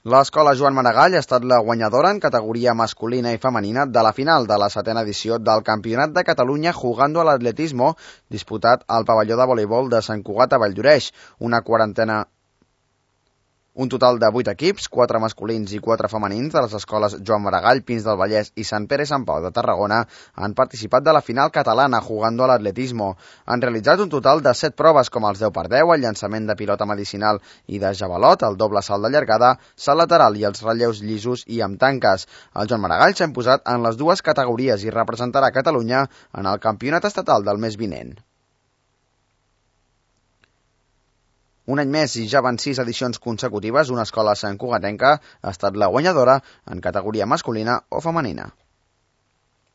L'escola Joan Maragall ha estat la guanyadora en categoria masculina i femenina de la final de la 7ª edició del Campionat de Catalunya Jugando al Atletismo, disputat al pavelló de voleibol de Sant Cugat a Valldoreix. Un total de 8 equips, 4 masculins i 4 femenins de les escoles Joan Maragall, Pins del Vallès i Sant Pere i Sant Pau de Tarragona han participat de la final catalana Jugando al Atletismo. Han realitzat un total de 7 proves com els 10x10, el llançament de pilota medicinal i de javelot, el doble salt de llargada, salt lateral i els relleus llisos i amb tanques. El Joan Maragall s'ha imposat en les dues categories i representarà Catalunya en el campionat estatal del mes vinent. Un any més i ja van 6 edicions consecutives, una escola santcugatenca ha estat la guanyadora en categoria masculina o femenina.